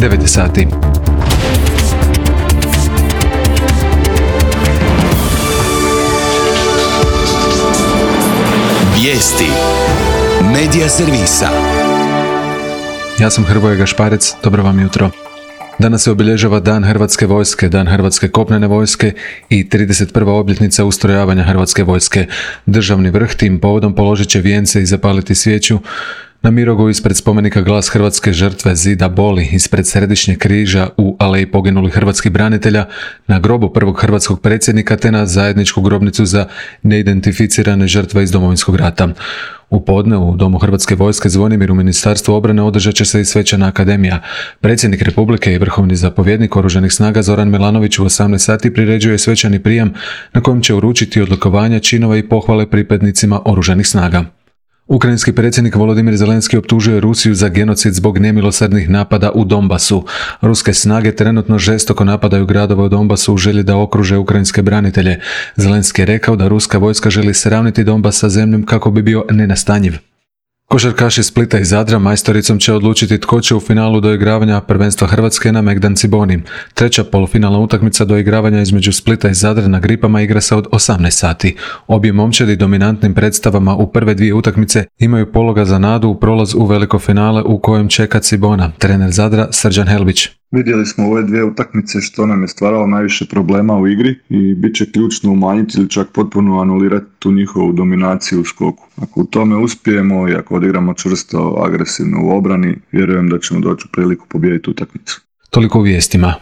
9 sati. Vijesti Medija servisa. Ja sam Hrvoje Gašparec, dobro vam jutro. Danas se obilježava Dan Hrvatske vojske, Dan Hrvatske kopnene vojske i 31. obljetnica ustrojavanja Hrvatske vojske. Državni vrh tim povodom položit će vijence i zapaliti svijeću na Mirogu ispred spomenika Glas hrvatske žrtve Zida Boli, ispred Središnjeg križa u Aleji poginulih hrvatskih branitelja, na grobu prvog hrvatskog predsjednika te na zajedničku grobnicu za neidentificirane žrtve iz Domovinskog rata. U podne u Domu Hrvatske vojske Zvonimir u Ministarstvu obrane održat će se i svečana akademija. Predsjednik Republike i vrhovni zapovjednik Oružanih snaga Zoran Milanović u 18 sati priređuje svečani prijam na kojem će uručiti odlikovanja, činove i pohvale pripadnicima Oružanih snaga. Ukrajinski predsjednik Volodimir Zelenski optužuje Rusiju za genocid zbog nemilosrdnih napada u Donbasu. Ruske snage trenutno žestoko napadaju gradove u Donbasu u želji da okruže ukrajinske branitelje. Zelenski je rekao da ruska vojska želi sravniti Donbas sa zemljom kako bi bio nenastanjiv. Košarkaši Splita i Zadra majstoricom će odlučiti tko će u finalu doigravanja prvenstva Hrvatske na Megdan Ciboni. Treća polufinalna utakmica doigravanja između Splita i Zadra na Gripama igra se od 18 sati. Obje momčadi dominantnim predstavama u prve dvije utakmice imaju pologa za nadu u prolaz u veliko finale u kojem čeka Cibona. Trener Zadra Srđan Helbić. Vidjeli smo ove dvije utakmice što nam je stvaralo najviše problema u igri i bit će ključno umanjiti ili čak potpuno anulirati tu njihovu dominaciju u skoku. Ako u tome uspijemo i ako odigramo čvrsto, agresivno u obrani, vjerujem da ćemo doći u priliku pobijediti utakmicu. Toliko u vijestima.